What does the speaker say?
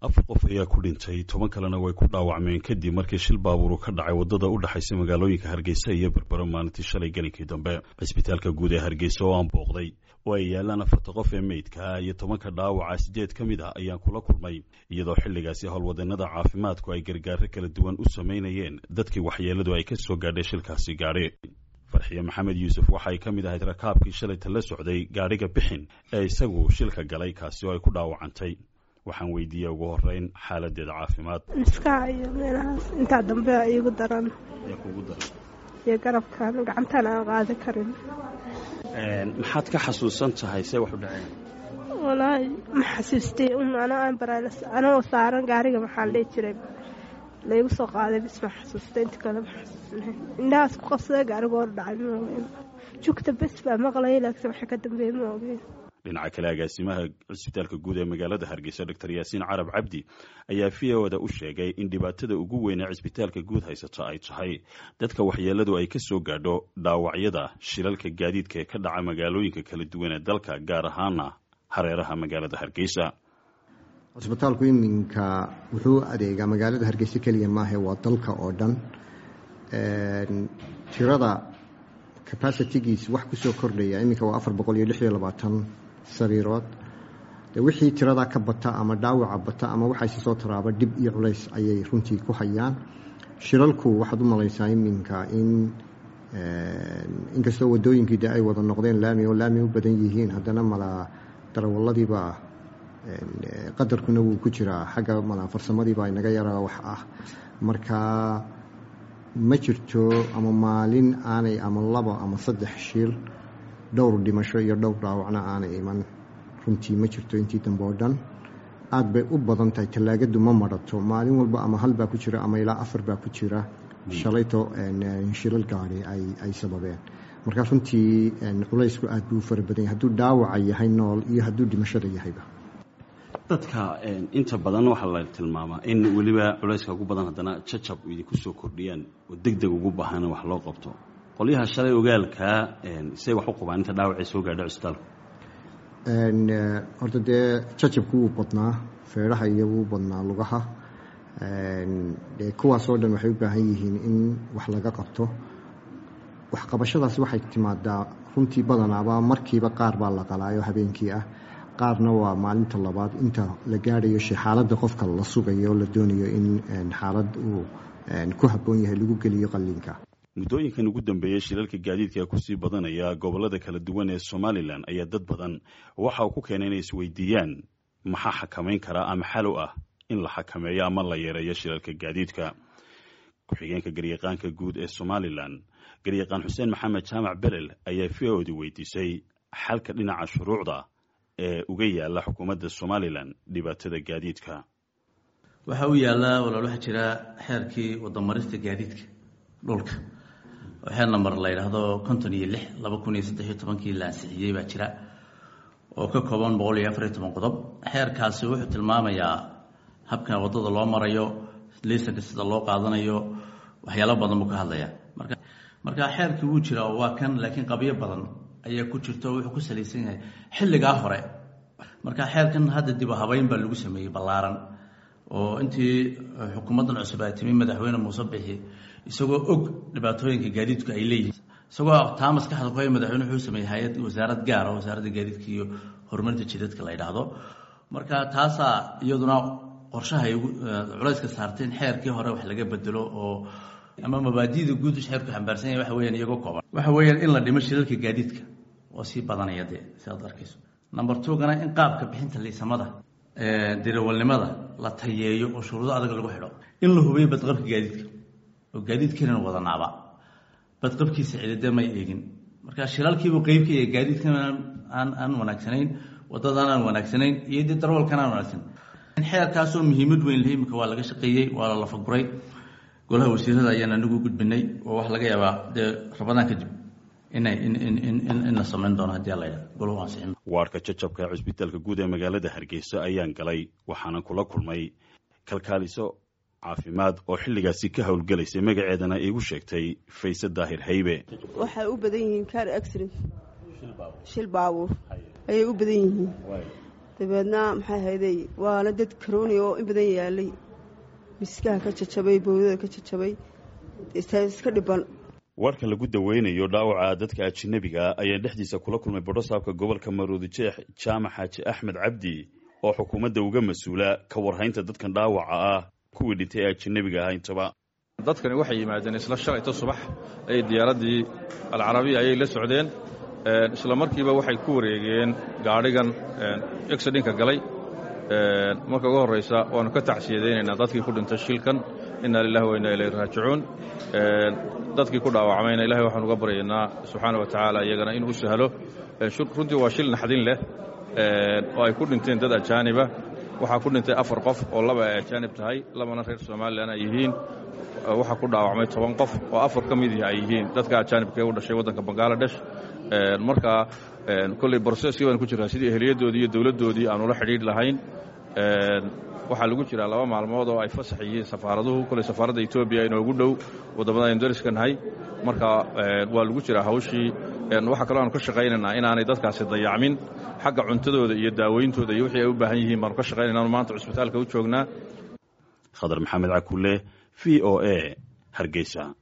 Afar qof ayaa ku dhintay, 10 kalena way ku dhaawacmeen kadib markii shil baabuuru ka dhacay waddada u dhexaysa magaalooyinka Hargeysa iyo Berbero maalintii shalay gelinkii dambe. Cisbitaalka guud ee Hargeysa oo aan booqday oo ay yaalaan afarta qof ee meydka iyo 10-ka dhaawaca, sideed ka mid ah ayaan kula kulmay, iyadoo xilligaasi howlwadeenada caafimaadku ay gargaaro kala duwan u samaynayeen dadkii waxyeeladu ay ka soo gaadhay shilkaasi gaadhi. Farxiye Maxamed Yuusuf waxay ka mid ahayd rakaabkii shalayta la socday gaadhiga Bixin ee isagu shilka galay, kaasi oo ay ku dhaawacantay. Waxaan weydiiyey ugu horeyn xaaladeeda caafimaad. Miskaha iyo meelahaas intaa dambe iigu daran iyo garabkan gacantan aan qaadi karin. Maxaad ka xasuusan tahay see wax u dhaceen? Walaahi ma xasuustay un anoo aan baraalas anoo saaran gaariga, maxaa la dhihi jiray, laygu soo qaaday bis ma xasuustay, inta kale ma xasuusnayn. Indhahaas ku qabsaday gaariga hor dhacay, ma ogeyn. Jugta bes baa maqlayay, laakiin waxa ka dambeeyey ma ogeyn. Dhinaca kale, agaasimaha cisbitaalka guud ee magaalada Hargeysa, Doctor Yaasiin Carab Cabdi, ayaa v o da u sheegay in dhibaatada ugu weyn ee cisbitaalka guud haysato ay tahay dadka waxyeeladu ay ka soo gaadho dhaawacyada shilalka gaadiidka ee ka dhaca magaalooyinka kala duwan ee dalka, gaar ahaana hareeraha magaalada Hargeysa. Cisbitaalku iminka wuxuu adeegaa magaalada Hargeysa keliya maahe, waa dalka oo dhan. Tirada capacity-giis wax kusoo kordhaya iminka waa 426 sariirood. Wixii tiradaa ka bata ama dhaawaca bata ama waxayse soo taraaba, dhib iyo culays ayay runtii ku hayaan shilalku. Waxaad u malaysaa iminka in inkastoo wadooyinkii de ay wada noqdeen laami oo laami u badan yihiin, haddana malaa darawaladiibaa qadarkuna wuu ku jiraa, xagga malaa farsamadiibaa inaga yaraa wax ah. Marka ma jirto ama maalin aanay ama laba ama saddex shil, dhowr dhimasho iyo dhowr dhaawacna aanay iman, runtii ma jirto. Intii dambe oo dhan aada bay u badan tahay. Tallaagadu ma marato, maalin walba ama hal baa ku jira ama ilaa afar baa ku jira shalayto shilal gaari ay sababeen. Marka runtii culaysku aad buu u fara badan yahay, hadduu dhaawaca yahay nool iyo hadduu dhimashada yahayba. Dadka inta badan waxaa la tilmaamaa in weliba culayska ugu badan haddana jacab idinku soo kordhiyaan oo deg deg ugu baahan wax loo qabto. Qolyaha shalay ogaalkaa say wax u qabaan inta dhaawacay soo gaadho cisbitaalku? Horta dee jajabku wuu badnaa, feedhaha iyo wuu badnaa lugaha. De kuwaas oo dhan waxay u baahan yihiin in wax laga qabto. Waxqabashadaasi waxay timaadaa runtii badanaaba markiiba. Qaar baa la qalaayo habeenkii ah, qaarna waa maalinta labaad inta la gaadhayo xaaladda qofka la sugayo, la doonayo in xaalad uu ku habboon yahay lagu geliyo qalliinka. Muddooyinkan ugu dambeeyey shilalka gaadiidka kusii badanaya gobollada kala duwan ee Somalilan ayaa dad badan waxa uu ku keenay inay isweydiiyaan maxaa xakamayn karaa ama xal u ah in la xakameeyo ama la yareeyo shilalka gaadiidka. Ku-xigeenka garyaqaanka guud ee Somalilan, garyaqaan Xuseen Maxamed Jaamac Belel, ayaa v o da weydiisay xalka dhinaca shuruucda ee uga yaala xukuumadda Somalilan dhibaatada gaadiidka. Waxaa u yaallaa, walaal, waxaa jira xeerkii wadamarista gaadiidka dhulka oo xeer number la yidhaahdo 56/2013 la ansixiyey baa jira, oo ka kooban 114 qodob. Xeerkaasi wuxuu tilmaamayaa habka waddada loo marayo, liisanka sida loo qaadanayo, waxyaalo badan buu ka hadlayaa. Marka xeerkii wuu jiraa oo waa kan, laakiin qabyo badan ayaa ku jirta oo wuxuu ku salaysan yahay xilligaa hore. Marka xeerkan hadda dib u habeyn baa lagu sameeyey ballaaran oo intii xukuumaddan cusub ay timi, madaxweyne Muuse Bixi isagoo og dhibaatooyinka gaadiidku ay leeyihiin, isagoo taa maskaxda ku haya, madaxweyne wuxuu sameeyey hay-ad, wasaarad gaar ah, Wasaaradda Gaadiidka iyo Horumarinta Jidadka la yidhaahdo. Marka taasaa iyaduna qorshaha ay culayska saartay in xeerkii hore wax laga bedelo oo ama mabaadi'da guud xeerku xambaarsan yahay waxa weeyaan, iyagoo kooban, waxa weeyaan in la dhimo shilalka gaadiidka oo sii badanaya dee sidaad arkayso. Number two gana, in qaabka bixinta liisamada darawalnimada la tayeeyo oo shuruudo adag lagu xidho, in la hubiyo badqabka gaadiidka oo gaadiidkeenan wadanaaba badqabkiisa cidide may eegin. Marka shilalkiibuu qeyb ka yahay gaadiidkan aan wanaagsanayn, waddadan aan wanaagsanayn iyo dee darawalkan aan wanaagsaneyn. Xeerkaasoo muhiimad weyn leh imika waa laga shaqeeyey, waa la lafaguray, golaha wasiirada ayaan anigu gudbinay oo waxa laga yaabaa dee Rabadaan kadib inay in la samayn doono haddii alla yidhahdo golahu ansixin. Waarka jajabka ee cusbitaalka guud ee magaalada Hargeysa ayaan galay, waxaanan kula kulmay kalkaaliso caafimaad oo xilligaasi ka howlgelaysay, magaceedana iigu sheegtay Fayse Daahir Haybe. Waxay u badan yihiin car accident, shil baabuur ayay u badan yihiin. Dabeedna maxay hayday, waana dad karooni oo in badan yaalay, miskaha ka jajabay, bowdada ka jajabay, iska dhiban. Warkan lagu daweynayo dhaawaca dadka ajinabiga ayaan dhexdiisa kula kulmay bodhosaabka gobolka Maroodi Jeex, Jaamac Xaaji Axmed Cabdi, oo xukuumadda uga mas-uula ka warhaynta dadkan dhaawaca ah, kuwii dhintay ee ajinabiga ahaa intaba. Dadkani waxay yimaadeen isla shalayto subax ayay diyaaraddii Alcarabiya ayay la socdeen. Isla markiiba waxay ku wareegeen gaadhigan exidinka galay. Marka ugu horraysa waannu ka tacsiyadaynaynaa dadkii ku dhintay shilkan, inna lilahi wa inna ilayhi raajicuun. Dadkii ku dhaawacmayna ilahay waxaan uga baryaynaa subxaana wa tacaala iyagana inuu u sahlo. Runtii waa shil naxdin leh oo ay ku dhinteen dad ajaaniba. Waxaa ku dhintay 4 qof oo 2 ay ajaanib tahay, 2na reer Somalilan ay yihiin. Waxaa ku dhaawacmay 10 qof oo 4 ka midii ay yihiin dadka ajaanibka ee u dhashay waddanka Bangaladesh. Marka kolley broseskii baan ku jiraa sidii eheliyadoodii iyo dowladdoodii aanu la xidhiidh lahayn. Waxaa lagu jiraa 2 maalmood oo ay fasax yihiin safaaraduhu. Kolley safaaradda Etoobiya inoogu dhow waddamada aynu dariska nahay. Marka waa lagu jiraa hawshii. Waxaa kaloo aanu ka shaqaynaynaa inaanay dadkaasi dayacmin xagga cuntadooda iyo daaweyntooda iyo wixii ay u baahan yihiin baanu ka shaqaynayna anu maanta cusbitaalka u joognaa. Khadar Maxamed Cakulle, v o a, Hargeysa.